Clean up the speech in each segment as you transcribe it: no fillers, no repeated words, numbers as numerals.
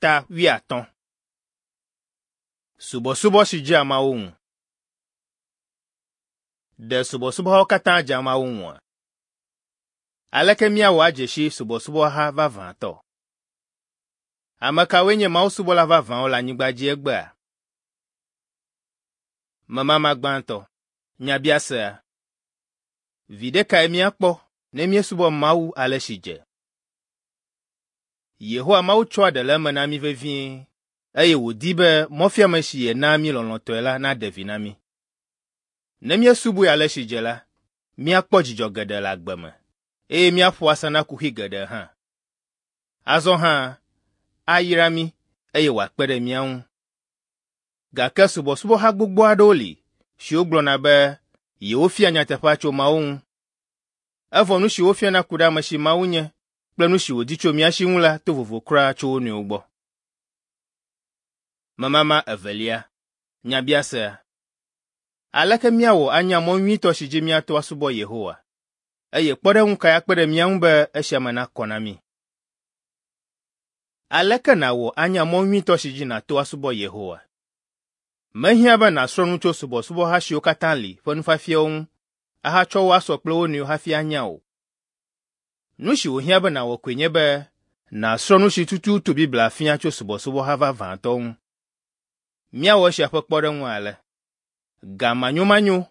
Ta wuiatɔ̃. Subɔsubɔ si dzea Mawu ŋu. Ɖe subɔsubɔhawo katã dzea Mawu ŋua? Aleke míawɔ adze si subɔsubɔha vavãtɔ? Ame kawoe nye mawusubɔla vavãwo le anyigba dzi egbea? Memama gbãtɔ. Nyabiasea. Viɖe kae míakpɔ ne míesubɔ Mawu ale si dze? Yehowa Mawu tsɔa ɖe le eme na mí vevie eye wòdi be mɔfiame si yenaa mí lɔlɔ̃tɔe la naɖe vi na mí. Ne míesubɔe ale si dze la, míakpɔ dzidzɔ geɖe le agbe me eye míaƒo asa na kuxi geɖe hã. Azɔ hã, ayra mí eye wòakpe ɖe mía ŋu. Gake subɔsubɔha gbogbo aɖewo li siwo gblɔna be yewofia nyateƒea tso Mawu ŋu. Evɔ nu si wofiana ku ɖe ame si Mawu nye kple nu si wòdi tso mía si ŋu la to vovo kura tso wo nɔewo gbɔ. Memama evelia. Nyabiasea. Aleke míawɔ anya mɔ nyuitɔ si dzi míato asubɔ Yehowa? Eye kpɔɖeŋu kae akpe ɖe mía ŋu be esia me nakɔ na mí? Aleke nàwɔ anya mɔ nyuitɔ si dzi nàto asubɔ Yehowa? Mehiã be nàsrɔ̃ nu tso subɔsubɔha siwo katã li ƒe nufiafiawo ŋu ahatsɔ wo asɔ kple wo nɔewo hafi anya o. Nu si wòhiã be nàwɔ koe nye be nàsrɔ̃ nu si tututu Biblia fia tso subɔsubɔha vavãtɔ ŋu. Míawɔ esia ƒe kpɔɖeŋu ale. Ga manyomanyo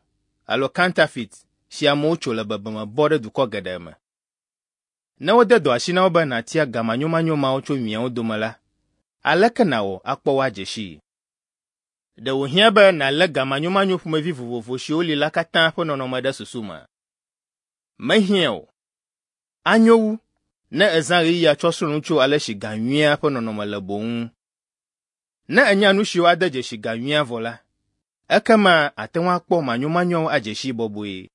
alo counterfeit si amewo tso le bebeme bɔ ɖe dukɔ geɖe me. Ne wode dɔ asi na wò be nàtia ga manyomanyo mawo tso nyuiawo dome la, aleke nàwɔ akpɔ wo adze sii? Ɖe wòhiã be nàlé ga manyomanyo ƒomevi vovovo siwo li la katã ƒe nɔnɔme ɖe susu mea? Mehiã o. Anyo wu ne èzã ɣeyiɣia tsɔ srɔ̃ nu tso ale si ga nyuia ƒe nɔnɔme le boŋ ŋu. Ne ènya nu siwo ade dzesi ga nyuia vɔ la, ekema àte ŋu akpɔ manyomanyoawo adze sii bɔbɔe.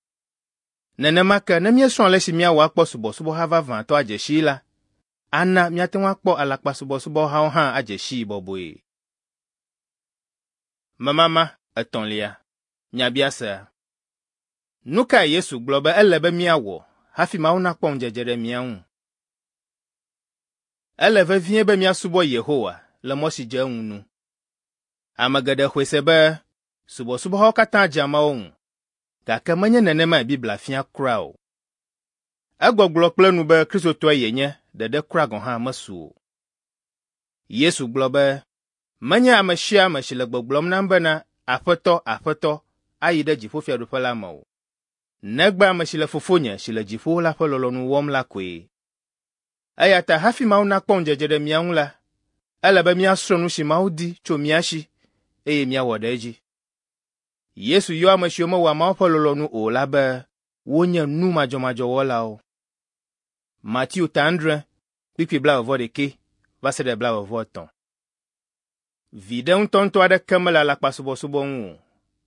Nenema ke ne míesrɔ̃ ale si míawɔ akpɔ subɔsubɔha vavãtɔ adze sii la, ana míate ŋu akpɔ alakpasubɔsubɔhawo hã adze sii bɔbɔe. Memama etɔ̃lia. Nyabiasea. Nu kae Yesu gblɔ be ele be míawɔ hafi Mawu nakpɔ ŋudzedze ɖe mía ŋu? Ele vevie be míasubɔ Yehowa le mɔ si dze eŋu nu. Ame geɖe xɔe se be subɔsubɔhawo katã dzea Mawu ŋu, gake menye nenemae Biblia fia kura o. Egbɔgblɔ kple nu be Kristotɔe yenye ɖeɖe kura gɔ̃ hã mesu o. Yesu gblɔ be, Menye ame sia ame si le gbɔgblɔm nam bena, Aƒetɔ, Aƒetɔ, ayi ɖe dziƒofiaɖuƒe la me o, negbe ame si le Fofonye si le dziƒo la ƒe lɔlɔ̃nu wɔm la koe. Eya ta hafi Mawu nakpɔ ŋudzedze ɖe mía ŋu la, ele be míasrɔ̃ nu si Mawu di tso mía si eye míawɔ ɖe edzi. Yesu yɔ ame siwo mewɔa Mawu ƒe lɔlɔ̃nu o la be wonye nu madzɔmadzɔ wɔlawo. Mateo ta adre, kpukpui blaeve-vɔ-ɖekɛ va se ɖe blaeve-vɔ-etɔ̃. Viɖe ŋutɔŋutɔ aɖeke mele alakpasubɔsubɔ ŋu o,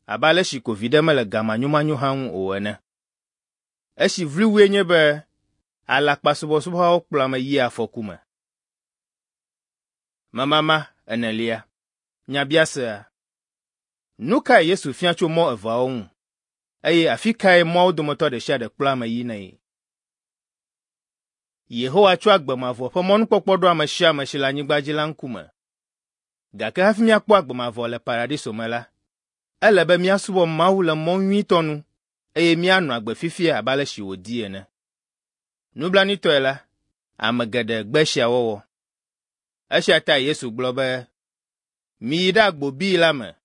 abe ale si ko viɖe mele ga manyomanyo hã ŋu o ene. Esi vloe wue nye be alakpasubɔsubɔhawo kplɔa ame yia afɔku me. Memama enelia. Nyabiasea. Nu kae Yesu fia tso mɔ eveawo ŋu, eye afi kae mɔawo dometɔ ɖe sia ɖe kplɔa ame yinae? Yehowa tsɔ agbe mavɔ ƒe mɔnukpɔkpɔ ɖo ame sia ame si le anyigba dzi la ŋkume. Gake hafi míakpɔ agbe mavɔ le Paradiso me la, ele be míasubɔ Mawu le mɔ nyuitɔ nu eye míanɔ agbe fifia abe ale si wòdi ene. Nublanuitɔe la, ame geɖe gbe esia wɔwɔ. Esia tae Yesu gblɔ be, Miyi ɖe agbo bii la me,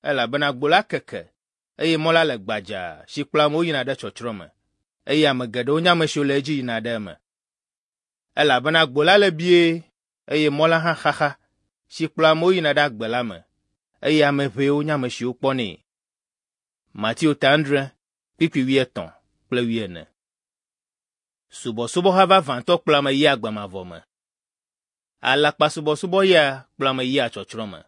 elabena agbo la keke eye mɔ la le gbadzaa si kplɔa amewo yina ɖe tsɔtsrɔ̃ me, eye ame geɖewo nye ame siwo le edzi yina ɖe eme. Elabena agbo la le bie eye mɔ la hã xaxa si kplɔa amewo yina ɖe agbe la me, eye ame ʋɛwo nye ame siwo kpɔnɛ. Mateo ta adre, kpukpui wuietɔ̃ kple wuiene. Subɔsubɔha vavãtɔ kplɔa ame yia agbe mavɔ me. Alakpasubɔsubɔ ya kplɔa ame yia tsɔtsrɔ̃ me.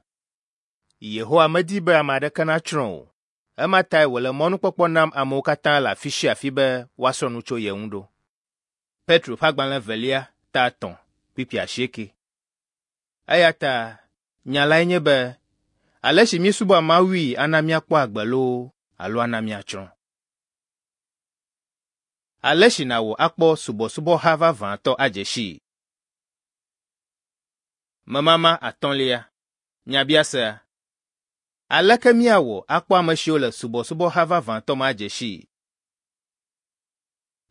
Yehowa medi be ame aɖeke natsrɔ̃ o. Ema tae wòle mɔnukpɔkpɔ nam amewo katã le afi sia afi be woasrɔ̃ nu tso ye ŋu ɖo. Petro ƒe agbalẽ evelia ta etɔ̃ kpukpui asieke. Eya ta nya lae nye be ale si míesubɔa Mawui ana míakpɔ agbe loo alo ana míatsrɔ̃. Ale si nàwɔ akpɔ subɔsubɔha vavãtɔ adze sii. Memama atɔ̃lia. Nyabiasea. Aleke míawɔ akpɔ ame siwo le subɔsubɔha vavãtɔ me adze sii?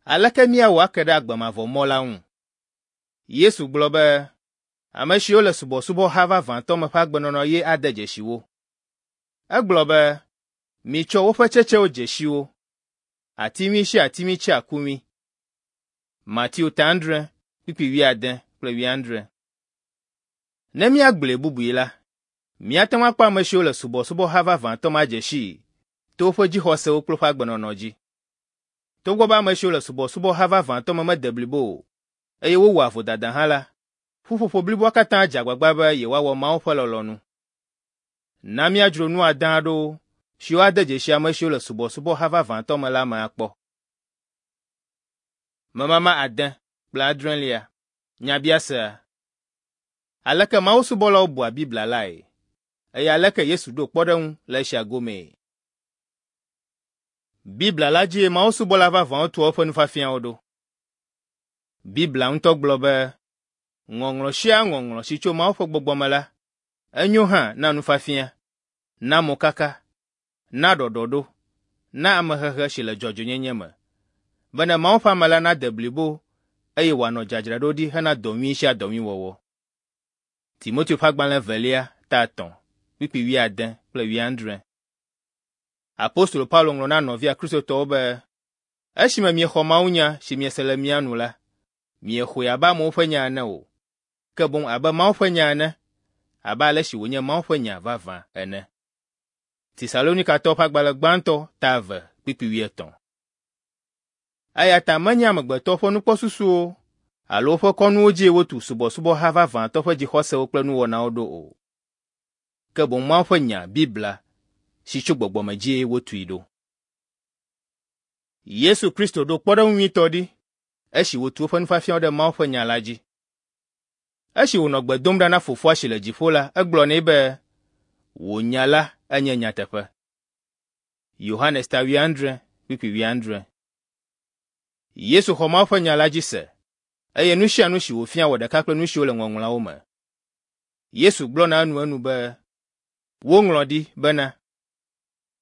Aleke míawɔ ake ɖe agbe mavɔ mɔ la ŋu? Yesu gblɔ be ame siwo le subɔsubɔha vavãtɔ me ƒe agbenɔnɔ ye ade dzesi wo. Egblɔ be, Mitsɔ woƒe tsetsewo dze si wo. Ati nyui sia ati nyui tsea ku nyui. Mateo ta adre, kpukpui wuiade kple wuiadre. Ne míagblɔe bubui la, míate ŋu akpɔ ame siwo le subɔsubɔha vavãtɔ me adze sii to woƒe dzixɔsewo kple woƒe agbenɔnɔ dzi. Togbɔ be ame siwo le subɔsubɔha vavãtɔ me mede blibo o, eye wowɔa vodada hã la, ƒuƒoƒo bliboa katã dze agbagba be yewoawɔ Mawu ƒe lɔlɔ̃nu. Na míadzro nu ade aɖewo siwo ade dzesi ame siwo le subɔsubɔha vavãtɔ me la me akpɔ. Memama ade kple adrelia. Nyabiasea. Aleke Mawu subɔlawo bua Biblia lae? Eye aleke Yesu ɖo kpɔɖeŋu le esia gomee? Biblia la dzie Mawu subɔla vavãwo tua woƒe nufiafiawo ɖo. Biblia ŋutɔ gblɔ be, Ŋɔŋlɔ sia ŋɔŋlɔ si tso Mawu ƒe gbɔgbɔ me la, enyo hã na nufiafia, na mokaka, na ɖɔɖɔɖo, na amehehe si le dzɔdzɔenyenye me, bene Mawu ƒe ame la nade blibo eye wòanɔ dzadzraɖoɖi hena dɔ nyui sia dɔ nyui wɔwɔ. Timoteo ƒe agbalẽ evelia, ta etɔ̃, kpukpui wuiade kple wuiadre. Apostolo Paulo ŋlɔ na nɔvia Kristotɔwo be, Esime miexɔ mawunya si miese le mía nu la, miexɔe abe amewo ƒe nya ene o, ke boŋ abe Mawu ƒe nya ene, abe ale si wònye Mawu ƒe nya vavã ene. Tesalonikatɔwo ƒe agbalẽ gbãtɔ ta eve kpukpui wuietɔ̃. Eya ta menye amegbetɔwo ƒe nukpɔsusuwo alo woƒe kɔnuwo dzie wotu subɔsubɔha vavãtɔ ƒe dzixɔsewo kple nuwɔnawo ɖo o. Ke boŋ Mawu ƒe nya, Biblia, si tso gbɔgbɔ me dzie wotui ɖo. Yesu Kristo ɖo kpɔɖeŋu nyuitɔ ɖi esi wòtu eƒe nufiafiawo ɖe Mawu ƒe nya la dzi. Esi wònɔ gbe dom ɖa na Fofoa si le dziƒo la, egblɔ nɛ be, Wò nya la enye nyateƒe. Yohanes ta wuiadre, kpukpui wuiadre. Yesu xɔ Mawu ƒe nya la dzi se, eye nu sia nu si wòfia wɔ ɖeka kple nu siwo le Ŋɔŋlɔawo me. Yesu gblɔna enuenu be, Woŋlɔ ɖi bena,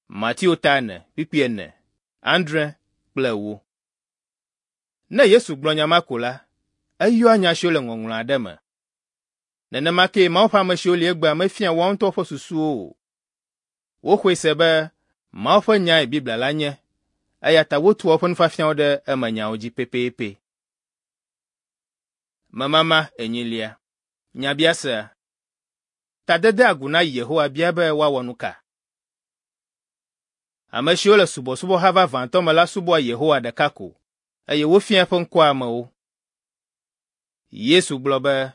Mateo ta ene, kpukpui ene, adre kple ewo. Ne Yesu gblɔ nya ma ko la, eyɔa nya siwo le ŋɔŋlɔ aɖe me. Nenema kee Mawu ƒe ame siwo li egbea mefia woawo ŋutɔ ƒe susuwo o. Woxɔe se be Mawu ƒe nyae Biblia la nye, eya ta wotua woƒe nufiafiawo ɖe emenyawo dzi pɛpɛpɛ. Memama enyilia. Nyabiasea. Tadedeagu na Yehowa bia be woawɔ nu ka? Ame siwo le subɔsubɔha vavãtɔ me la subɔa Yehowa ɖeka ko, eye wofiaa eƒe ŋkɔa amewo. Yesu gblɔ be,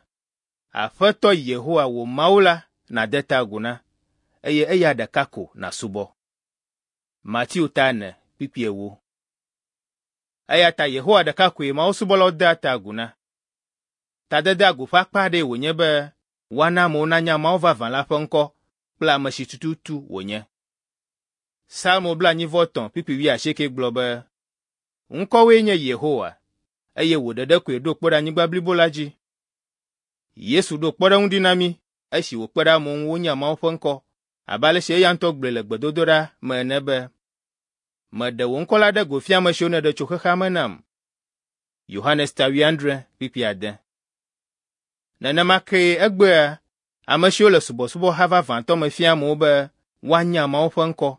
Aƒetɔ Yehowa wò Mawu la nàde ta agu na, eye eya ɖeka ko nàsubɔ. Mateo ta ene, kpukpui ewo. Eya ta Yehowa ɖeka koe mawusubɔlawo dea ta agu na. Tadedeagu ƒe akpa aɖee wònye be woana amewo nanya Mawu vavã la ƒe ŋkɔ kple ame si tututu wònye. Salmo blaenyi-vɔ-etɔ̃ kpukpui wuiasieke gblɔ be, Ŋkɔwoe nye Yehowa, eye wò ɖeɖe koe ɖo kpe ɖe anyigba blibo la dzi. Yesu ɖo kpɔɖeŋu ɖi na mí esi wòkpe ɖe amewo ŋu wonya Mawu ƒe ŋkɔ abe ale si eya ŋutɔ gblɔe le gbedodoɖa me ene be, Meɖe wò ŋkɔ la ɖe go fia ame siwo nèɖe tso xexea me nam. Yohanes ta wuiadre kpukpui ade. Nenema kee egbea ame siwo le subɔsubɔha vavãtɔ me fia amewo be woanya Mawu ƒe ŋkɔ,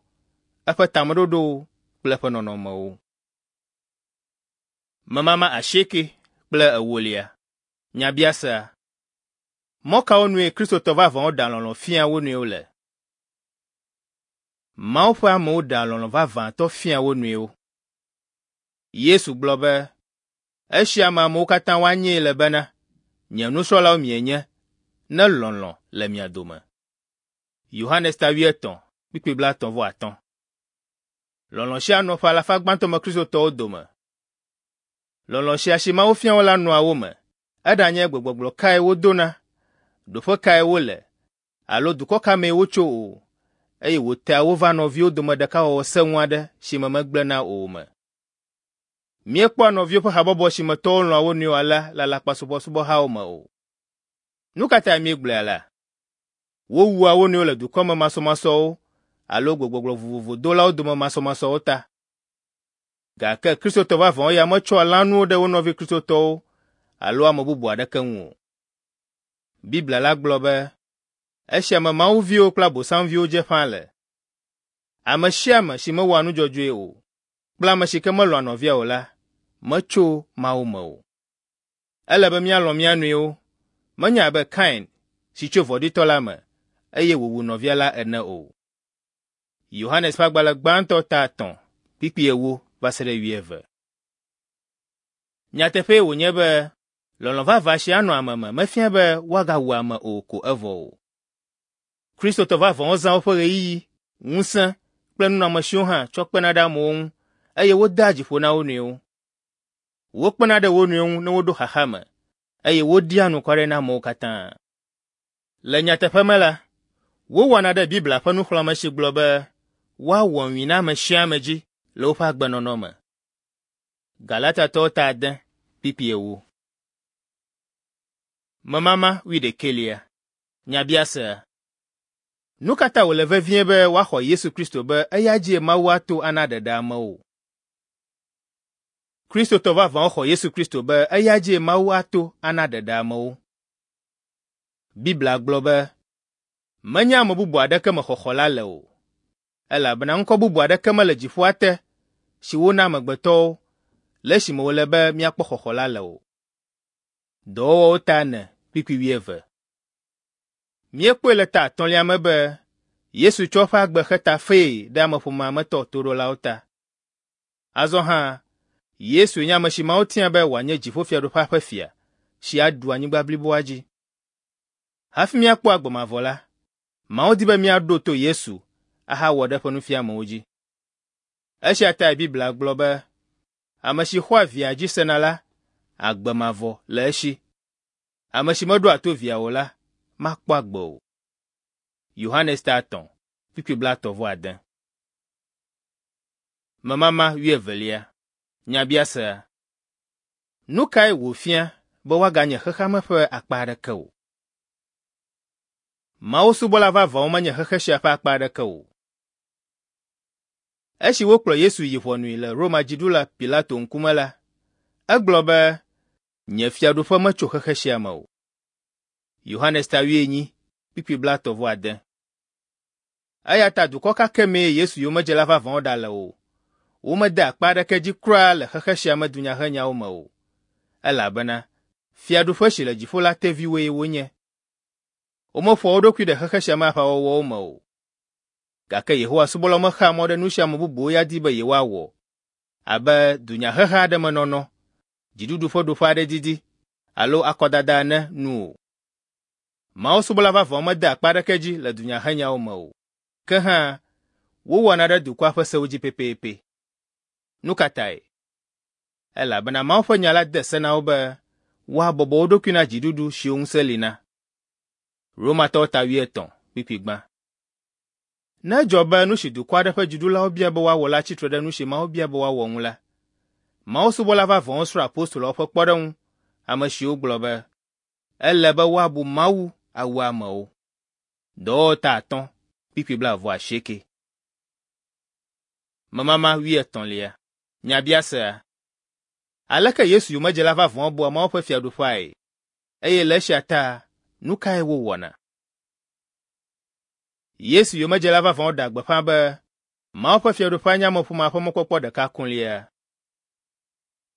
eƒe tameɖoɖowo kple eƒe nɔnɔmewo. Memama asieke kple ewolia. Nyabiasea. Mɔ kawo nue Kristotɔ vavãwo ɖea lɔlɔ̃ fiaa wo nɔewo le? Mawu ƒe amewo ɖea lɔlɔ̃ vavãtɔ fiaa wo nɔewo. Yesu gblɔ be, Esia me amewo katã woanyae le bena, nye nusrɔ̃lawo mienye, ne lɔlɔ̃ le mia dome. Yohanes ta wuietɔ̃, kpukpui blaetɔ̃ vɔ atɔ̃. Lɔlɔ̃ sia nɔ ƒe alafa gbãtɔ me Kristotɔwo dome. Lɔlɔ̃ sia si Mawu fia wo la nɔa wo me, eɖanye gbegbɔgblɔ kae wodona, ɖoƒe kae wole, alo dukɔ ka mee wotso o, eye wòtea wo va nɔviwo dome ɖekawɔwɔ sẽŋu aɖe si me megblẽna o me. Míekpɔa nɔviwo ƒe habɔbɔ si me tɔwo lɔ̃a wo nɔewo alea le alakpasubɔsubɔhawo me o. Nu ka tae míegblɔe alea? Wowua wo nɔewo le dukɔme masɔmasɔwo alo gbegbɔgblɔ vovovo dolawo dome masɔmasɔwo ta. Gake Kristotɔ vavãwo ya metsɔa lãnuwo ɖe wo nɔvi Kristotɔwo alo ame bubu aɖeke ŋu o. Biblia la gblɔ be, esia me Mawu viwo kple Abosamviwo dze ƒãa le. Ame sia ame si mewɔa nu dzɔdzɔe o kple ame si ke melɔ̃a nɔvia o la, metso Mawu me o. Ele be míalɔ̃ mía nɔewo, menye abe Kain si tso vɔ̃ɖitɔ la me, eye wòwu nɔvia la ene o. Yohanes ƒe agbalẽ gbãtɔ ta 3 kpukpui 4 va se ɖe 11. Nyateƒee wònye be lɔlɔ̃ vavã si anɔ ame me mefia be woagawu ame o ko evɔ o. Kristotɔ vavãwo zã woƒe ɣeyiɣi, ŋusẽ kple nunɔamesiwo hã tsɔ kpena ɖe amewo ŋu eye wodea dzi ƒo na wo nɔewo. Wokpena ɖe wo nɔewo ŋu ne woɖo xaxa me eye woɖia anukware na amewo katã. Le nyateƒe me la, wowɔna ɖe Biblia ƒe nuxlɔ̃ame si gblɔ be woawɔ nyui na ame sia ame dzi le woƒe agbenɔnɔ me. Galatatɔwo ta 6 kpukpui 4. Memama wuiɖekɛlia. Nyabiasea. Nu ka ta wòle vevie be woaxɔ Yesu Kristo be eya dzie Mawu ato ana ɖeɖe amewo? Kristotɔ vavãwo xɔ Yesu Kristo be eya dzie Mawu ato ana ɖeɖe amewo. Biblia gblɔ be, menye ame bubu aɖeke me xɔxɔ la le o, elabena ŋkɔ bubu aɖeke mele dziƒoa te si wona amegbetɔwo le esime wòle be míakpɔ xɔxɔ la le o. Dɔwɔwɔwo ta 4 kpukpui 11. Míekpɔe le ta etɔ̃lia me be Yesu tsɔ eƒe agbe xe tafee ɖe ameƒomea me tɔ toɖolawo ta. Azɔ hã, Yesue nye ame si Mawu tia be wòanye dziƒofiaɖuƒea ƒe fia si aɖu anyigba bliboa dzi. Hafi míakpɔ agbe mavɔ la, Mawu di be míaɖo to Yesu ahawɔ ɖe eƒe nufiamewo dzi. Esia tae Biblia gblɔ be, ame si xɔa Via dzi sena la, agbe mavɔ le esi. Ame si meɖoa to Via o la, makpɔ agbe o. Yohanes ta 3, kpukpui 39. Memama wuievelia. Nyabiasea. Nu kae wòfia be woaganye xexea me ƒe akpa aɖeke o? Mawu subɔla vavãwo menye xexe sia ƒe akpa aɖeke o. Esi wokplɔ Yesu yi ʋɔnui le Roma dziɖula Pilato ŋkume la, egblɔ be, Nye fiaɖuƒe metso xexe sia me o. Yohanes ta 8, kpukpui 39. Eya ta dukɔ ka ke mee Yesu yomedzela vavãwo ɖale o, womede akpa aɖeke dzi kura le xexe sia me dunyahenyawo me o, elabena fiaɖuƒe si le dziƒo la teviwoe wonye. Womeƒoa wo ɖokui ɖe xexe sia me aʋawɔwɔwo me o. Gake Yehowa subɔlawo mexea mɔ ɖe nu si ame bubuwo ya di be yewoawɔ, abe dunyaheha aɖe me nɔnɔ, dziɖuɖu ƒe ɖoƒe aɖe didi, alo akɔdada ene nu o. Mawu subɔla vavãwo medea akpa aɖeke dzi le dunyahenyawo me o. Ke hã, wowɔna ɖe dukɔa ƒe sewo dzi pɛpɛpɛ. Nu ka tae? Elabena Mawu ƒe nya la de se na wo be woabɔbɔ wo ɖokui na dziɖuɖu siwo ŋusẽ li na. Romatɔwo ta 8, kpukpui gbã. Ne edzɔ be nu si dukɔ aɖe ƒe dziɖulawo bia be woawɔ la tsi tre ɖe nu si Mawu bia be woawɔ ŋu la, Mawu subɔla vavãwo srɔ̃ apostoloawo ƒe kpɔɖeŋu, ame siwo gblɔ be, ele be woabu Mawu awu amewo. Dɔwɔwɔ ta 5, kpukpui 28. Memama wuietɔ̃lia. Nyabiasea. Aleke Yesu yomedzela vavãwo bua Mawu ƒe fiaɖuƒeae, eye le esia ta nu kae wowɔna? Yesu yomedzela vavãwo ɖea gbeƒã be Mawu ƒe fiaɖuƒea nye ameƒomea ƒe mɔkpɔkpɔ ɖeka kolia.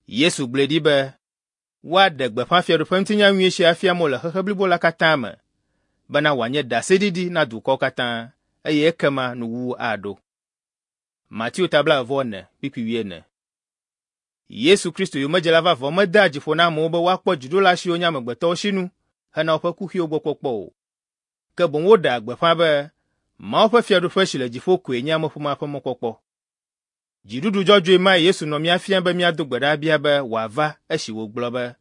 Yesu gblɔe ɖi be woaɖe gbeƒã fiaɖuƒe ŋutinya nyui sia afia amewo le xexe blibo la katã me, bena wòanye ɖaseɖiɖi na dukɔwo katã, eye ekema nuwuwu aɖo. Mateo ta 24, kpukpui 40. Yesu Kristo yomedzela vavãwo medea dzi ƒo na amewo be woakpɔ dziɖula siwo nye amegbetɔwo sinu hena woƒe kuxiwo gbɔ kpɔkpɔ o. Ke boŋ woɖea gbeƒã be Mawu ƒe fiaɖuƒe si le dziƒo koe nye ameƒomea ƒe mɔkpɔkpɔ. Dziɖuɖu dzɔdzɔe mae Yesu nɔ mía fiam be míado gbe ɖa abia be wòava esi wògblɔ be,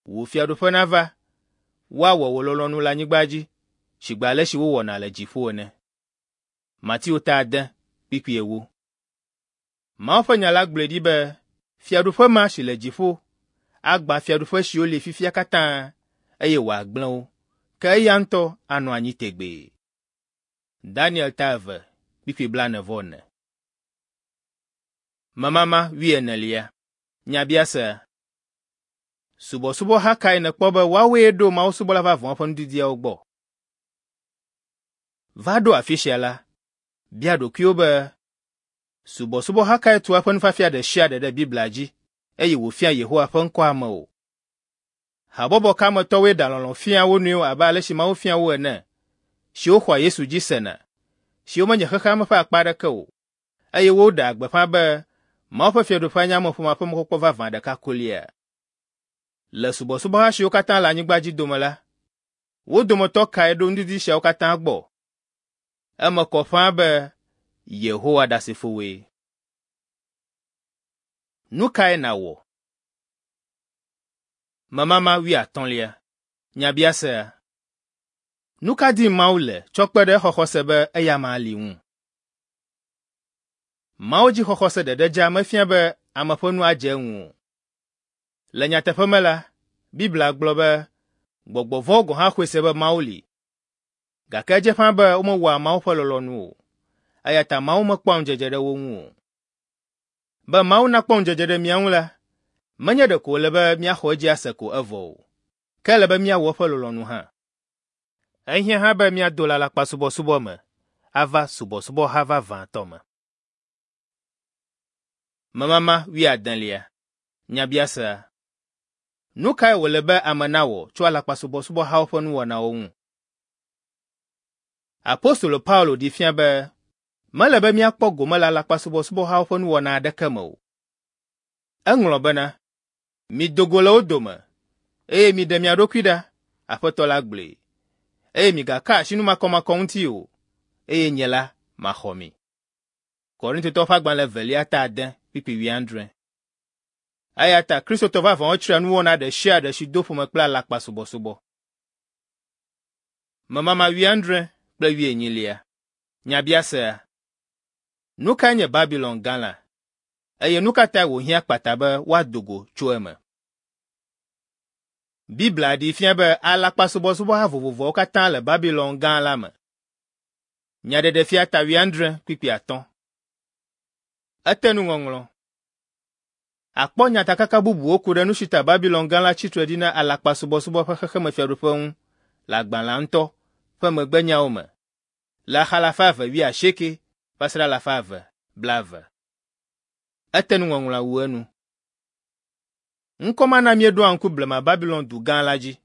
Wò fiaɖuƒe nava, woawɔ wò lɔlɔ̃nu le anyigba dzi sigbe ale si wowɔna le dziƒo ene. Mateo ta 6, kpukpui 4. Mawu ƒe nya la gblɔe ɖi be fiaɖuƒe ma si le dziƒo agbã fiaɖuƒe siwo li fifia katã eye wòagblẽ wo. ke eya ŋutɔ anɔ anyi tegbee. Daniel ta 2, kpukpui 44. Memama wuienelia. Nyabiase. Subɔsubɔha kae nèkpɔ be woawoe ɖo mawusubɔla vavãwo ƒe nudidiawo gbɔ? Va ɖo afi sia la, bia ɖokuiwò be, subɔsubɔha kae tua eƒe nufiafia ɖe sia ɖe ɖe Biblia dzi eye wòfia Yehowa ƒe ŋkɔ amewo? Habɔbɔ ka me tɔwoe ɖea lɔlɔ̃ fiaa wo nɔewo abe ale si Mawu fia wo ene, siwo xɔa Yesu dzi sena, siwo menye xexea me ƒe akpa aɖeke o, eye woɖea gbeƒã be Mawu ƒe Fiaɖuƒea nye ameƒomea ƒe mɔkpɔkpɔ vavã ɖeka kolia? Le subɔsubɔha siwo katã le anyigba dzi dome la, wo dometɔ kae ɖo nudidi siawo katã gbɔ? Eme kɔ ƒãa be Yehowa Ɖasefowoe. Nu kae nàwɔ? Memama wuiatɔ̃lia. Nyabiasea. Nu ka dim Mawu le tsɔ kpe ɖe exɔxɔ se be eyama li ŋu? Mawu dzixɔxɔse ɖeɖe dzaa mefia be ame ƒe nu adze eŋu o. Le nyateƒe me la, Biblia gblɔ be gbɔgbɔ vɔ̃wo gɔ̃ hã xɔe se be Mawu li. Gake edze ƒãa be womewɔa Mawu ƒe lɔlɔ̃nu o, eya ta Mawu mekpɔa ŋudzedze ɖe wo ŋu o. Be Mawu nakpɔ ŋudzedze ɖe mía ŋu la, menye ɖeko wòle be míaxɔ edzi ase ko evɔ o, ke ele be míawɔ eƒe lɔlɔ̃nu hã. Ehiã hã be míado le alakpasubɔsubɔ me ava subɔsubɔha vavãtɔ me. Memama wuiadelia. Nyabiasea. Nu kae wòle be ame nawɔ tso alakpasubɔsubɔhawo ƒe nuwɔnawo ŋu? Apostolo Paulo ɖee fia be mele be míakpɔ gome le alakpasubɔsubɔhawo ƒe nuwɔna aɖeke me o. Eŋlɔ bena, Mido go le wo dome, eye miɖe mia ɖokui ɖa, Aƒetɔ la gblɔe, eye migaka asi nu makɔmakɔ ŋuti o, eye nye la maxɔ mi. Korintotɔwo ƒe agbalẽ evelia ta ade kpukpui wuiadre. Eya ta Kristotɔ vavãwo tsria nuwɔna ɖe sia ɖe si do ƒome kple alakpasubɔsubɔ. Memama wuiadre kple wuienyilia. Nyabiasea. Nu kae nye Babilon Gã la? Eye nu ka tae wòhiã kpata be woado go tso eme? Biblia ɖee fia be alakpasubɔsubɔha vovovoawo katã le Babilon Gã la me. Nyaɖeɖefia ta wuiadre kpukpui atɔ̃. Ete nuŋɔŋlɔ. Àkpɔ nyatakaka bubuwo ku ɖe nu si ta Babilon Gã la tsi tre ɖi na alakpasubɔsubɔ ƒe xexemefiaɖuƒe ŋu le agbalẽa ŋutɔ ƒe megbenyawo me le axa alafa eve wuiasieke va se ɖe alafa eve blaeve. Ete nuŋɔŋlɔa wu enu. Ŋkɔ ma na míeɖoa ŋku blema Babilon du gã la dzi,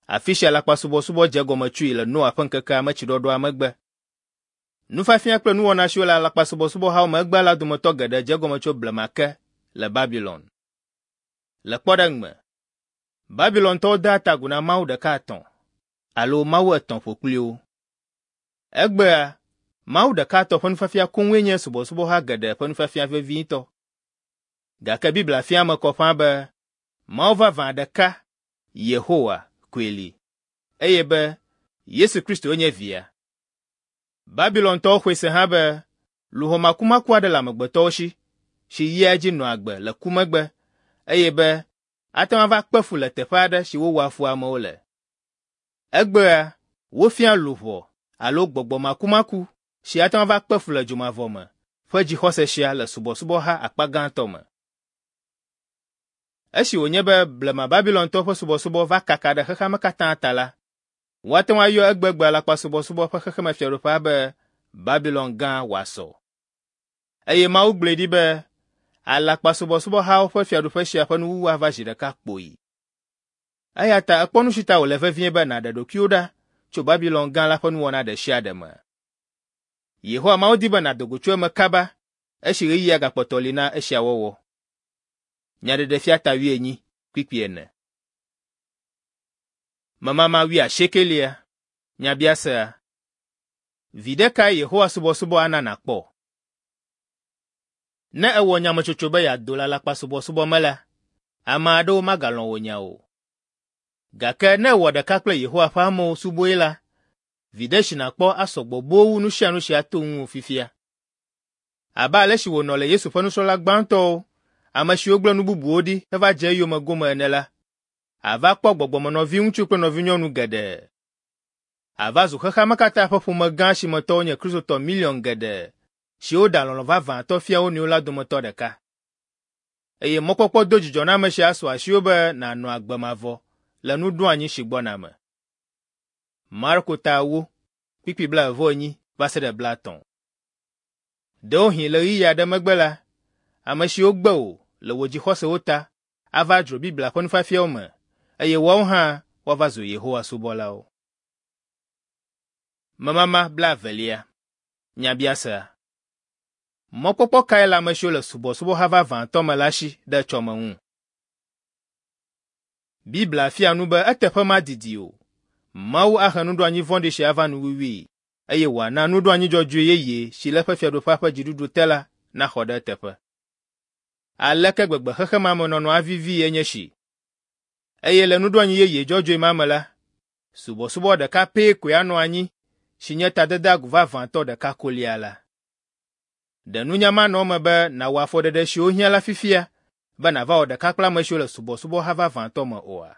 afi si alakpasubɔsubɔ dze egɔme tsoe le Noa ƒe ŋkekea me tsiɖɔɖɔa megbe. Nufiafia kple nuwɔna siwo le alakpasubɔsubɔhawo me egbea la dometɔ geɖe dze egɔme tso blema ke le Babilon. Le kpɔɖeŋu me, Babilontɔwo dea ta agu na mawu ɖeka etɔ̃ alo mawu etɔ̃ ƒokpliwo. Egbea, mawu ɖeka etɔ̃ ƒe nufiafia koŋue nye subɔsubɔha geɖe ƒe nufiafia vevitɔ. Gake Biblia fia eme kɔ ƒãa be Mawu vavã ɖeka, Yehowa, koe li, eye be Yesu Kristoe nye Via. Babilontɔwo xɔe se hã be luʋɔ makumaku aɖe le amegbetɔwo si, si yia edzi nɔa agbe le ku megbe, eye be ate ŋu ava kpe fu le teƒe aɖe si wowɔa fu amewo le. Egbea, wofia luʋɔ alo gbɔgbɔ makumaku si ate ŋu ava kpe fu le dzomavɔ me ƒe dzixɔse sia le subɔsubɔha akpa gãtɔ me. Esi wònye be blema Babilontɔwo ƒe subɔsubɔ va kaka ɖe xexea me katã ta la, woate ŋu ayɔ egbegbe alakpasubɔsubɔ ƒe xexemefiaɖuƒea be Babilon Gã wòasɔ. Eye Mawu gblɔe ɖi be alakpasubɔsubɔhawo ƒe fiaɖuƒe sia ƒe nuwuwu ava zi ɖeka kpoyi. Eya ta èkpɔ nu si ta wòle vevie be nàɖe ɖokuiwò ɖa tso Babilon Gã la ƒe nuwɔna ɖe sia ɖe me. Yehowa Mawu di be nàdo go tso eme kaba esi ɣeyiɣia gakpɔtɔ li na esia wɔwɔ. Nyaɖeɖefia ta wuienyi, kpukpui ene. Memama wuiasiekelia. Nyabiasea. Viɖe kae Yehowa subɔsubɔ ana nàkpɔ? Ne èwɔ nyametsotso be yeado le alakpasubɔsubɔ me la, ame aɖewo magalɔ̃ wò nya o. Gake ne èwɔ ɖeka kple Yehowa ƒe amewo subɔe la, viɖe si nàkpɔ asɔ gbɔ boo wu nu sia nu si ato ŋuwò fifia. Abe ale si wònɔ le Yesu ƒe nusrɔ̃la gbãtɔwo, ame siwo gblẽ nu bubuwo ɖi heva dze eyome gome ene la, àva kpɔ gbɔgbɔmenɔviŋutsu kple nɔvinyɔnu geɖe. Àva zu xexea me katã ƒe ƒome gã si me tɔwo nye Kristotɔ miliɔn geɖe siwo ɖea lɔlɔ̃ vavãtɔ fia wo nɔewo la dometɔ ɖeka. Eye mɔkpɔkpɔ dodzidzɔname sia asu asiwò be nànɔ agbe mavɔ le nuɖoanyi si gbɔna me. Marko ta 4, kpukpui 40 va se ɖe 30. Ɖewohĩ le ɣeyiɣi aɖe megbe la, ame siwo gbe wò le wò dzixɔsewo ta ava dzro Biblia ƒe nufiafiawo me eye woawo hã woava zu Yehowa subɔlawo. Memama blaevelia. Nyabiasea. Mɔkpɔkpɔ kae le ame siwo le subɔsubɔha vavãtɔ me la si ɖe etsɔme ŋu? Biblia fia nu be eteƒe madidi o, Mawu ahe nuɖoanyi vɔ̃ɖi sia ava nuwuwui eye wòana nuɖoanyi dzɔdzɔe yeye si le eƒe Fiaɖuƒea ƒe dziɖuɖu te la naxɔ ɖe eteƒe. Aleke gbegbe xexe ma me nɔnɔ avivii enye esi! Eye le nuɖoanyi yeye dzɔdzɔe ma me la, subɔsubɔ ɖeka pɛ koe anɔ anyi si nye tadedeagu vavãtɔ ɖeka kolia la. Ɖe nunya manɔ eme be nàwɔ afɔɖeɖe siwo hiã la fifia be nàva wɔ ɖeka kple ame siwo le subɔsubɔha vavãtɔ me oa?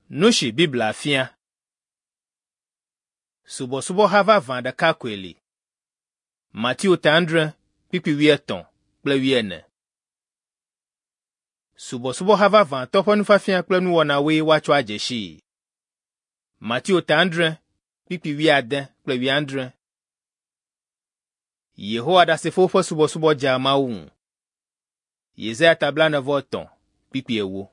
Nu si Biblia fia. Subɔsubɔha vavã ɖeka koe li. Mateo ta 7, kpukpui 80 kple 90. Subɔsubɔha vavãtɔ ƒe nufiafia kple nuwɔnawoe woatsɔ adze sii. Mateo ta 7, kpukpui 80 kple 90. Yehowa Ɖasefowo ƒe subɔsubɔ dzea Mawu ŋu. Yesaya ta 43, kpukpui 40.